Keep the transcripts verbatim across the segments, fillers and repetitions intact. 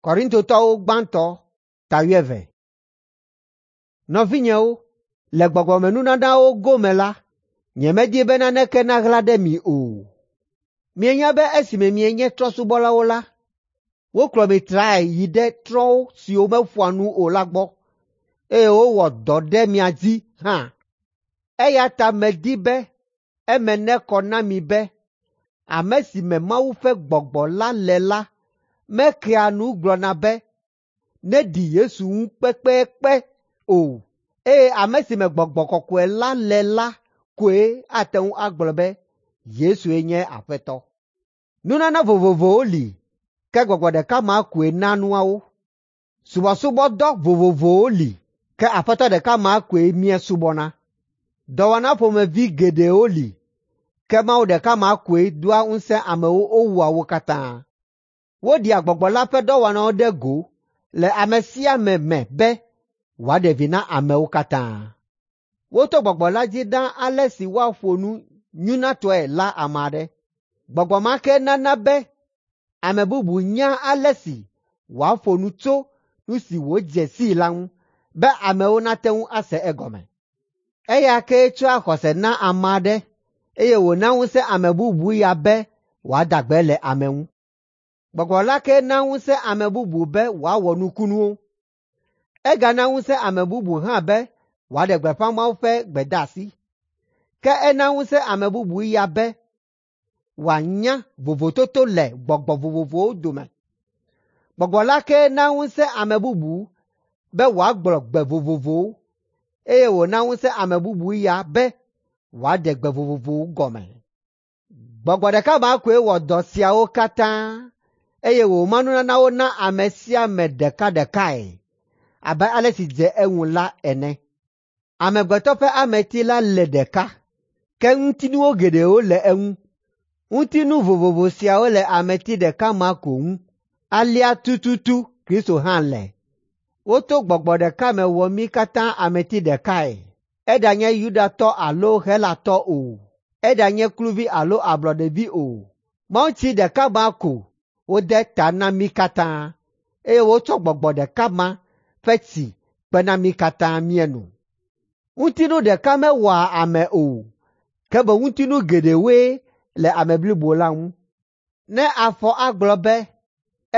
Korintotɔwo gbãtɔ ta wuieve. Nɔvinyewo, le gbɔgbɔmenunanawo gome la, nyemedi be naneke naɣla ɖe mi o. Mienya be esime mienye trɔ̃subɔlawo la, wokplɔ mi trae yi ɖe trɔ̃ siwo meƒoa nu o la gbɔ, eye wowɔ dɔ ɖe mia dzi hã. Eya ta medi be eme nekɔ na mi be ame si me Mawu ƒe Gbɔgbɔ la le la mekea nu gblɔna be neɖi Yesu ŋu kpekpekpe o, eye ame si me Gbɔgbɔ Kɔkɔe la le la koe ate ŋu agblɔ be Yesue nye Aƒetɔ. Nunana vovovowo li, ke Gbɔgbɔ ɖeka ma koe na nuawo. Subɔsubɔdɔ vovovowo li, ke Aƒetɔ ɖeka ma koe míesubɔna. Dɔwɔna ƒomevi geɖewo li, ke Mawu ɖeka ma koe doa ŋusẽ amewo wowɔa wo katã. Woɖea Gbɔgbɔ la ƒe dɔwɔnawo ɖe go le ame sia ame me be wòaɖe vi na amewo katã. Woto Gbɔgbɔ la dzi na ale si woaƒo nu nyunatɔe la ame aɖe. Gbɔgbɔ ma ke nana be ame bubu nyaa ale si wòaƒo nu tso nu si wòdze sii la ŋu be amewo nate ŋu ase egɔme. Eya kee tsɔa xɔse na ame aɖe eye wòna ŋusẽ ame bubu ya be wòada gbe le ame ŋu. Gbɔgbɔ la ke na ŋusẽ ame bubu be wòawɔ nukunuwo. Egana ŋusẽ ame bubu hã be wòaɖe gbeƒã Mawu ƒe gbedeasi. Ke ena ŋusẽ ame bubu ya be wòanya vovototo le gbɔgbɔ vovovowo dome. Gbɔgbɔ la ke na ŋusẽ ame bubu be wòagblɔ gbe vovovowo, eye wòna ŋusẽ ame bubu ya be wòaɖe gbe vovovowo gɔme. Gbɔgbɔ ɖeka ma koe wɔ dɔ siawo katã, eye wòma nunanawo na ame sia ame ɖekaɖekae abe ale si dze eŋu la ene. Amegbetɔ ƒe ameti la le ɖeka, ke ŋutinuwo geɖewo le eŋu. Ŋutinu vovovo siawo le ameti ɖeka ma ko ŋu. Alea tututu Kristo hã le. Woto gbɔgbɔ ɖeka me wɔ mí katã ameti ɖekae, eɖanye Yudatɔ alo Helatɔ o, eɖanye kluvi alo ablɔɖevi o. Mawutsi ɖeka ma ko wode ta na mí katã, eye wotsɔ gbɔgbɔ ɖeka ma ƒe tsi kpe na mí katã míeno. Ŋutinu ɖeka mewɔa ame o, ke boŋ ŋutinu geɖewoe le ame blibo la ŋu. Ne afɔ agblɔ be,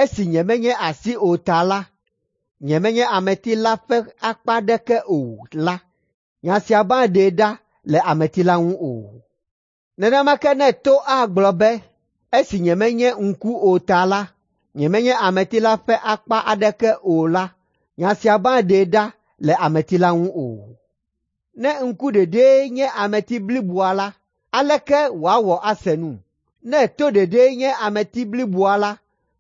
“Esi nyemenye asi o ta la, nyemenye ameti la ƒe akpa aɖeke o” la, nya sia maɖee ɖa le ameti la ŋu o. Nenema ke ne to agblɔ be, “Esi nyemenye ŋku o ta la, nyemenye ameti la ƒe akpa aɖeke o” la, nya sia maɖee ɖa le ameti la ŋu o. Ne ŋku ɖeɖee nye ameti bliboa la, aleke wòawɔ ase nu? Ne to ɖeɖee nye ameti bliboa la,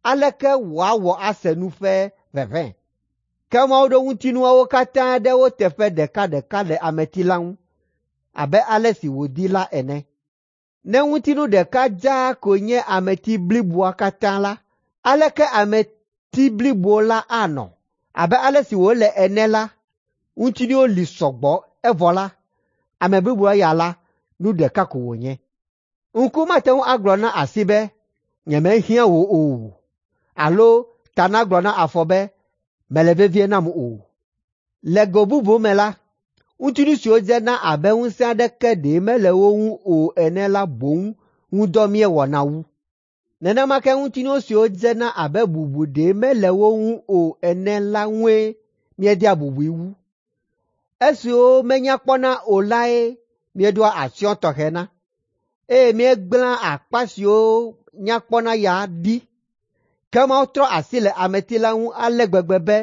aleke wòawɔ ase nu ƒe ʋeʋẽ? Ke Mawu ɖo ŋutinuawo katã ɖe wo teƒe ɖekaɖeka le ameti la ŋu abe ale si wòdi la ene. Ne ŋutinu ɖeka dzaa ko nye ameti bliboa katã la, aleke ameti blibo la anɔ? Abe ale si wòle ene la, ŋutinuwo li sɔgbɔ evɔ la, ame bliboa ya la, nu ɖeka ko wònye. Ŋku mate ŋu agblɔ na asi be, “Nyemehiã wò o” alo ta nagblɔ na afɔ be, “Mèle vevie nam o.” Le go bubu me la, ŋutinu siwo dzena abe ŋusẽ aɖeke ɖe mele wo ŋu o ene la boŋ ŋu dɔ míewɔna wu. Nenema ke ŋutinu siwo dzena abe bubu ɖe mele wo ŋu o ene la ŋue míedea bubui wu. Esiwo menya kpɔna o lae míeɖoa atsyɔ̃ tɔxɛ na, eye míegblẽa akpa siwo nya kpɔna ya ɖi. Ke Mawu trɔ asi le ameti la ŋu ale gbegbe be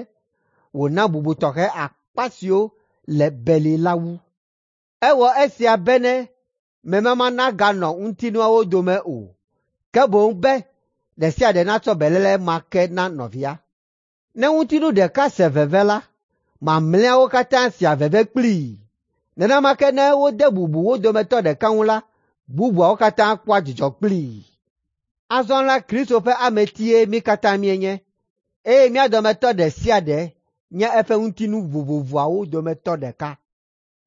wòna bubu tɔxɛ akpa siwo le beli la wu. Ewɔ esia bene memama naganɔ ŋutinuawo dome o, ke boŋ be ɖe sia ɖe natsɔ beléle ma ke na nɔvia. Ne ŋutinu ɖeka se veve la, mamlɛawo katã sea veve kplii. Nenema ke ne wode bubu wo dometɔ ɖeka ŋu la, bubuawo katã kpɔa dzidzɔ kplii. Azɔ la Kristo ƒe ametie mí katã míenye, eye mía dometɔ ɖe sia ɖe nye eƒe ŋutinu vovovoawo dometɔ ɖeka.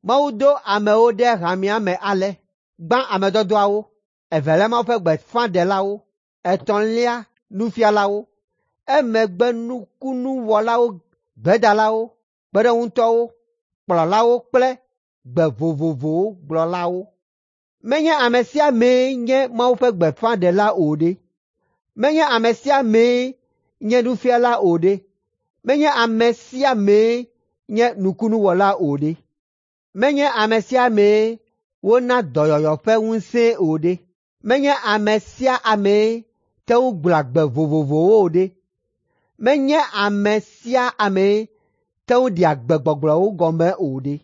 Mawu do amewo ɖe hamea me ale: gbã ame dɔdɔawo, evelia Mawu ƒe gbeƒãɖelawo, etɔ̃lia nufialawo, Emegbe nukunuwɔlawo, gbedalawo, kpeɖeŋutɔwo, kplɔlawo kple gbe vovovowo gblɔlawo. Menye ame sia amee nye Mawu ƒe gbeƒãɖela o ɖe? Menye ame sia amee nye nufiala o ɖe? Menye ame sia amee nye nukunuwɔla o ɖe? Menye ame sia amee wona dɔyɔyɔ ƒe ŋusẽe o ɖe? Menye ame sia amee te ŋu gblɔa gbe vovovowo o ɖe? Menye ame sia amee te ŋu ɖea gbegbɔgblɔwo gɔme o ɖe?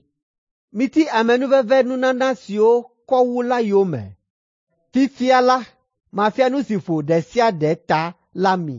Miti amenuveve nunana siwo kɔ wu la yome. Fifia la, mafia nu si ƒo ɖe sia ɖe ta la mi.